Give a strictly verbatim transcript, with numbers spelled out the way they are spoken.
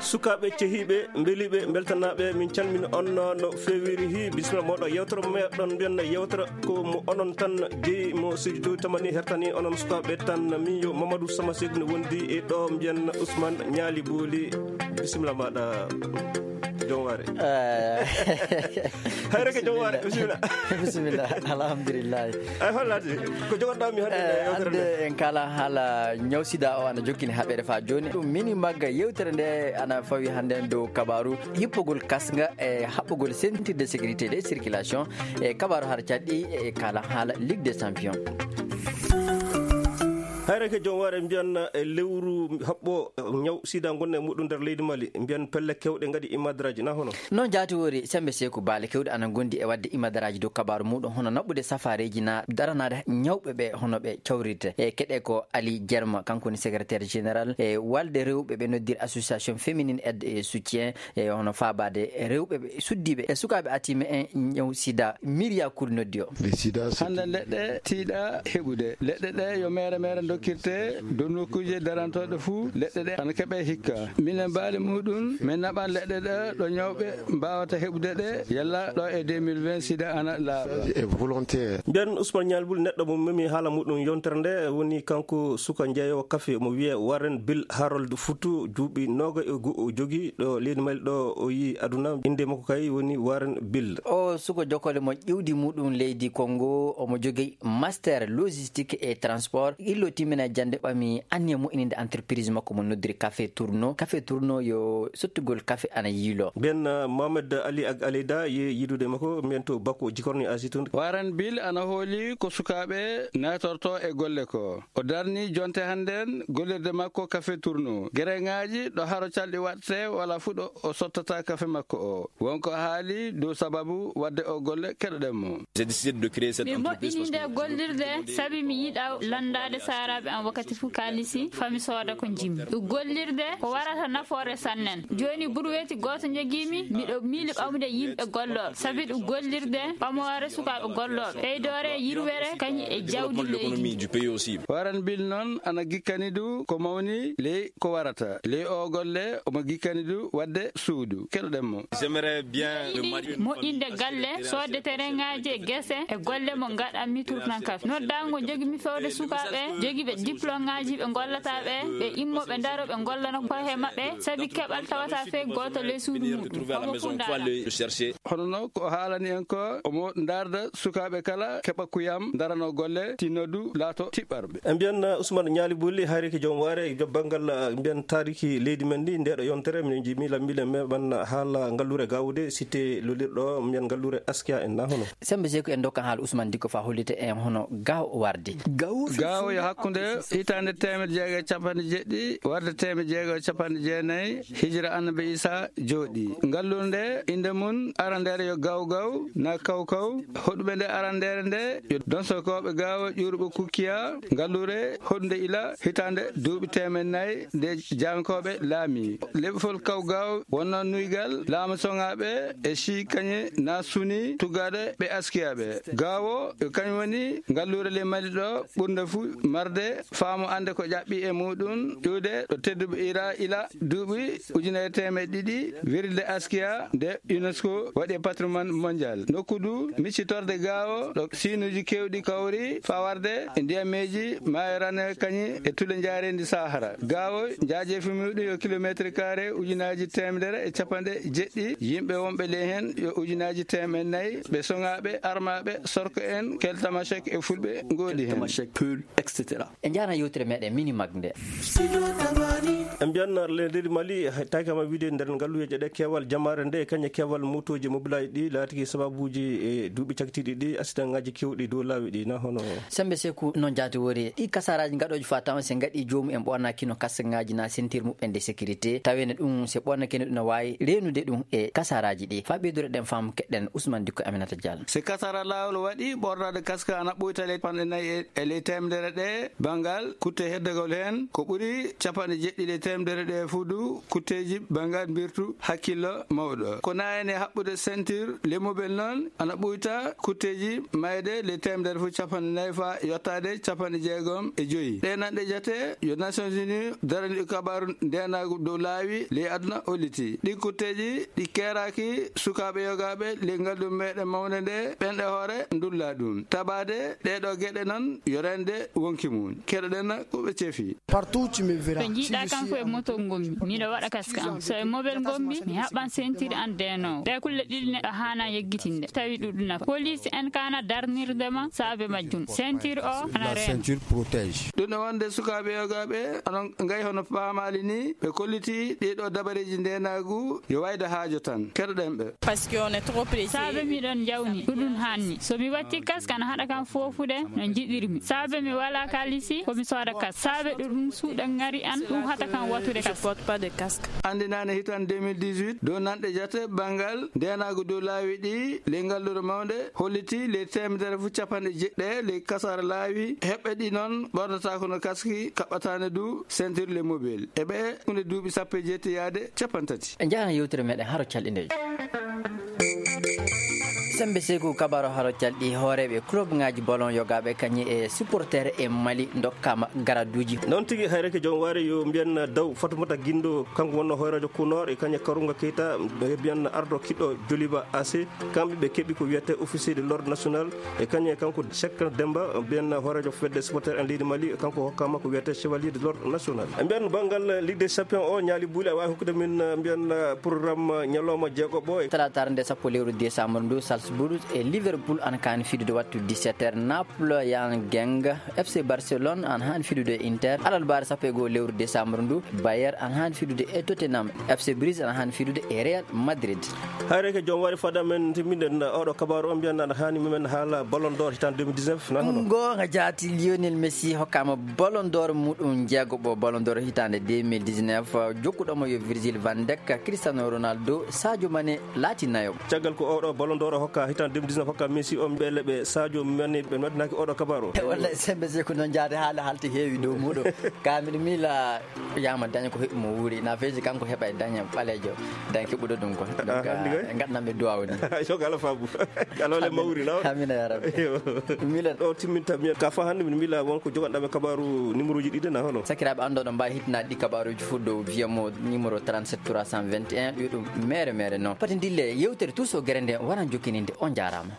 Sukaaɓe cehiiɓe, mbeliiɓe, mbeltanaaɓe, min calmini on no feewiri. Hi, bisimilla mooɗon. Yewtere mo meɗon mbiyan yewtere ko mo onon tan jeyi, mo Studio Tamani hertani onon sukaaɓe tan. Min yo Mamadou Sama Seck no wondi e ɗo mbiyan Ousmane Ñaali Booli. Bisimilla maaɗa, joom waare. Eh. Hayre ko joom waare, bisimilla. Bisimilla, alhamdulillah. Ay, hollaade, ko jogoɗaa mi hannde e Eh, yewtere hannde nde? En kaala haala ñaw sida o ana jokkini haɓere faa jooni. Ɗum mini magga yewtere nde ana fawi hannde dow kabaaru hippogol kasnga e haɓɓogol sentirde sécurité de circulation e kabaaru har caɗɗi e kaala haala Ligue des Champions. Hayre ko joom waare mbiyan e lewru haɓɓo ñaw sida ngonɗen e muɗum nder leydi Mali, mbiyan pelle kewɗe ngaɗi imadraji, na hono? Noon jaati woori, Sembe Seeku, baale kewɗe ana ngondi e waɗde imadraji dow kabaaru muɗum, hono naɓude safareeji na daranaade ñawɓe ɓe, hono ɓe cawrirte. E keɗe ko Ali Jerma, kanko woni secrétaire général e walde rewɓe ɓe noddir association féminine aide et soutien, e hono faabaade rewɓe ɓe suddiiɓe e sukaaɓe atiiɓe e ñaw sida, Miria Kul noddi o. Hannde leɗɗe tiiɗa heɓude. Leɗɗe ɗe yo meere meere dokkirte dow nokkuuje darantooɗe fuu. Leɗɗe ɗe ana keɓe hikka. Minen baali muɗum, min naɓan leɗɗe ɗe ɗo ñawɓe mbaawata heɓude ɗe, yalla ɗo e deux mille vingt sida ana laaɓa. Mbiyan Ousmane Ñaali Booli, neɗɗo mo memi haala muɗum yontere nde woni kanko suka jeeyo kafe mo wiyee Warren Bill Harold Futu, duuɓi nooga e go'o o jogi ɗo leydi Mali ɗo o yi aduna. Innde makko kay woni Warren Bill. O suka jokkole mo ƴiwdi muɗum leydi Congo, omo jogi master logistique et transport. Illo timmina jannde ɓami anniya moƴƴininde entreprise makko mo noddiri Café Tourno. Café Tourno yo sottugol kafe ana yiilo. Mbiyan, uh, Mohamed Ali Ag Aleyda ye yidude makko, mbiyan to Bako Jikorni Asie tun. Warren Bill ana hooli ko sukaaɓe naatorto e golle ko. O darni jonte hannden gollirde makko Café Tourno. Gereŋaaji ɗo haro calɗi waɗte wala fuɗo o sottata kafe makko o. Wonko haali dow sababu waɗde o golle, keɗoɗen mo. J'ai décidé de créer cette Mi entreprise moƴƴini parce nde que gollirde sabi mi yiɗa lanndaade saaraaɓe am wakkati fof kaalisi fami sooda ko njimmi. Ɗum gollirde ko warata nafoore sannen. Jooni burweeti gooto njogiimi, miɗo miili ɓamde yimɓe gollooɓe. Sabi ɗum gollirde ɓamoore sukaaɓe gollooɓe. Ɓeydoore yirwere kañum e jawdi leydi. Warren Bill noon ana gikkani du ko mawni ley ko warata. Ley o golle omo gikkani du waɗde suudu. Keɗoɗen mo. J'aimerais bien me marier une famille. Moƴƴinde galle, soodde terrainŋaaji e gese e golle mo ngaɗanmi Tourno Café. Noddaango jogiimi fewde sukaaɓe, jogiiɓe diplômeŋaaji ɓe ngollata ɓe, ɓe immo ɓe ndaro ɓe ngollana koye maɓɓe, sabi keɓal tawata fey gooto ley suudu muɗum. Homo fuu ndaara. Hono no ko haalani en ko, omo ndaarda sukaaɓe kala keɓa kuyam, ndarano golle, tinno du laato tiɓɓarɓe. En mbiyan, uh, Ousmane Ñaali Booli, hayreke joom waare, joom banngal, uh, mbiyan taariki leydi men ndi, ndeɗo yontere, minen njiimi lammiiɓe meɓan haala ngalluure Gawude, cité lolirɗo, mbiyan ngalluure Askia en na hono? Sembe Seeku en dokkan haala Ousmane Dikko faa hollita en hono Gawo wardi. Gawo yo hakkunde hitaande teemedde jeego e capanɗe jeɗɗi, warde teemedde jeego e capanɗe jeenayi, hijira Annabi Isa jooɗi. Ngalluure nde innde mum arandeere yo Gaw Gaw, na Kaw Kaw. Hoɗuɓe nde arandeere nde yo donsokooɓe Gaawo ƴuuruɓe Kukkiya. Ngalluure hoɗunde ila hitaande duuɓi teemeɗɗe nayi nde Jankooɓe laami. Leɓfol Kaw Gaawo wonno nuygal laamu soŋaaɓe e Sii Kañe na Suni tuggaaɗo ɓe Askiyaaɓe. Gaawo yo kañum woni ngalluure ley Mali ɗo ɓurnde fuu marde faamu annde ko ƴaɓɓi e muɗum iwde ɗo tedduɓe ira ila duuɓi ujunere teemeɗɗe ɗiɗi, wirirde Askiya nde UNESCO waɗi e patrimoine mondial. Nokku du miccitorde Gaawo ɗo siinuuji keewɗi kawri faa warde e ndiyammeeji maayo Rane kañum e tule njaareendi Sahara. Gaawo njaajeefi muɗum yo kilomeetre carré ujunaaji teemedere e capanɗe jeɗɗi, yimɓe wonɓe ley heen yo ujunaaji teemeɗɗe nayi, ɓe soŋaaɓe, armaaɓe, sorko en, kel tamashek e fulɓe ngoodi heen. Tamashek, Peul, et cetera. En njaarna yewtere meɗen mini mag nde. En mbiyan leydi Mali, tawi kama wiide nder ngalluyeeje ɗe keewal jamaare nde, e kañum e keewal motooji mobilaaji ɗi laatiki sababuuji e duuɓi cakitiiɗi ɗi, asidaŋaaji keewɗi dow laawi ɗi, na hono? Sembe Seeku, noon jaati woori, ɗi kasaraaji ngaɗooji faa tawa se ngaɗi joomum en ɓoornaaki no kasaŋaaji na sentir muɓɓen de sécurité, taweene ɗum se ɓoornakeene ɗum no waawi reenude ɗum e kasaraaji ɗi. Faa ɓeydude ɗen faamu keɗɗen Ousmane Dikko Aminata Diallo. Se kasara laawol waɗi ɓoornaade kaska ana ɓuyta ley capanɗe nayi e, e ley teemedere ɗe, Banngal kutte heddagol heen ko ɓuri capanɗe jeɗɗi ley teemedere ɗe fuudu kutteeji banngal mbirtu hakkillo mawɗo. Ko naayani haɓɓude ceinture Les Mobiles noon ana ɓuyta kutteeji mayde ley teemedere fof capanɗe nayi faa yottaade capanɗe jeegom e joyi. Ɗe nanɗe jate yo Nations Unies daraniiɗo kabaaru ndeenaagu dow laawi ley aduna holliti. Ɗi kutteeji ɗi keeraaki sukaaɓe yogaaɓe ley ngalɗu meɗen mawnde nde ɓenɗe hoore ndulla ɗum. Tabaade ɗee ɗoo geɗe noon yo rende wonki mum. Keɗoɗen ko ɓe cefi. Partout tu me verras. To njiiɗa kanko e moto ngonmi, miɗo waɗa kaska am. So e mobel ngonmi, mi haɓɓan sentiri an deenoowo. Ɗe kulle ɗiɗi neɗɗo haana yeggitinde, tawi ɗuɗuna. Police en kana darnirde ma saabe majjum. Ceinture o ana La reen. Ceinture protège. Ɗum ɗo wonde sukaaɓe yogaaɓe, onon ngayi hono paamaali ni, ɓe kolliti ɗee ɗoo dabareeji ndeenaagu yo wayde haajo tan. Keɗoɗen ɓe. Parce que on est trop pressé. Saabe miɗon jawni, ɗuɗum hanni. So mi watti kaska ana haɗa kam foofude no njiɗirmi. Saabe mi wala kalisi, ko mi sooda kas. Saabe ɗuɗum suuɗa ngari an, ɗum hata kam watude Je kas. Porte pas de casque. Anndinaane hitan deux mille dix-huit, dow nanɗe jate banngal ndeenaagu dow laawi ɗi, ley ngal ɗo mawnde, holliti ley teemedere fof capanɗe jeɗɗe, ley kasara laawi, heɓɓe ɗi noon ɓornata kono kaski, kaɓɓataane du ceinture Les Mobiles. E ɓe, hunde duuɓi sappo e jeetati yaade capanɗe tati. En njahan yewtere meɗen haro calɗi nde. Sembe Seeku, kabaro haro calɗi, hooreeɓe club ngaji ballon yogaaɓe kañi e supporter e Mali ndokkama garaduuji. Noon tigi, hayreke joom waare yo mbiyen Daw Fatumata Gindo, kanko wonno hoyrajo Kunor e kañe Karunga Keita, ɓe mbiyen ardo kiɗɗo Joliba A C. Kamɓe ɓe keɓi ko wiyete officier de l'ordre national e kañe kanko Cheikh Demba, mbiyen hoyrajo fedde supporter en leydi Mali, kanko hokkama ko wiyete chevalier de l'ordre national. E mbiyen banngal Ligue des Champions o ñaali buuli, a waawi hokkude min, mbiyen programme ñalawma jeegoɓo e Talaataare nde sappo lewru décembre ndu, Salzburg e Liverpool ana kaani fidude wattu dix-sept heures. Naples, Young Boys, F C Barcelone ana haani fidude e Inter. Alarbaare sappo e go'o lewru décembre ndu, Bayern ana haani fidude e Tottenham. F C Bruges ana haani fidude e Real Madrid. Hayreke joom waɗi fada men timmiɗen oɗo kabaru o, mbiyen ana haani men haala Ballon d'Or hitan deux mille dix-neuf, na hono? Goonga jaati, Lionel Messi hokkama Ballon d'Or muɗum jeegoɓo, Ballon d'Or hitande deux mille dix-neuf. Jokkuɗomo yo Virgil van Dijk, Cristiano Ronaldo, Sadio Mané laati nayo. Caggal ko oɗo Ballon d'Or hokka hitan deux mille dix-neuf hokka Messi o, mbele ɓe Sadio Mané ɓe noddinaki oɗo kabaru o? Wallay, Sembe Seeku, noon jaade haala haalti heewi dow muɗum. Ka miɗo miila Yaama daña ko heɓi mo wuuri, na feeji kanko heɓa e daña ɓaleejo, daña keɓuɗo ɗum ko. Donc, ah, en ngaɗanamɓe duwaawu ni. Yo ko Allah faabu. Allah wale mawri, na? Amina ya rabbi. Yo. Milan. Ɗo timminta miyan. Ka fa hannde min mila won ko joganɗaɓe kabaru numéro ji ɗiɗi, na hono? Sakiraaɓe anndoɗo mbawi hitinaɗi ɗi kabaruji fof dow viyamo numéro trente-sept trois cent vingt et un, ɗo ɗum mere mere noon. Pati ndille yewtere Tous o gere nde waran jokkininde. On jaaraama.